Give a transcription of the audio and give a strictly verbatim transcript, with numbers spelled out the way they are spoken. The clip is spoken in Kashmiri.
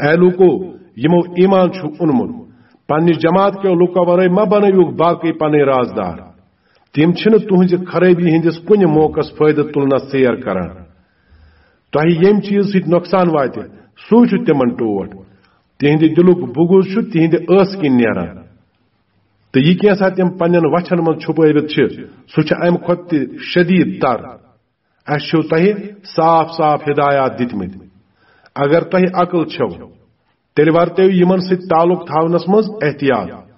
اے لوٗکو، یِمو ایمان چھُ اونمُت، پننہِ جماعت کیو لوٗکو ورٲے مہ بنٲوِو باقٕے پنٕنۍ رازدار۔ تِم چھِنہٕ تُہنزِ خرٲبی ہٕنٛدِس کُنہِ موقعس فٲیدٕ تُلنس ژیر کران۔ تۄہہِ ییٚمہِ چیٖزٕ سۭتۍ نۄقصان واتہِ، سُے چھُ تِمن ٹوٹھ۔ تِہنٛدِ دِلُک بغض چھُ تِہنٛدِ ٲسہٕ کِنۍ نیران۔ تہٕ یہِ کینٛژھا تِم پننٮ۪ن وچھن منٛز چھُپٲوِتھ چھِ، سُہ چھُ امہِ کھۄتہٕ تہِ شدیٖد تر۔ اسہِ چھِو تۄہہِ صاف صاف ہدایات دِتمٕتۍ۔ اگر تۄہہِ عقل چھَو، تیٚلہِ ورتٲوِو یِمن سۭتۍ تعلق تھاونس منٛز احتیاط۔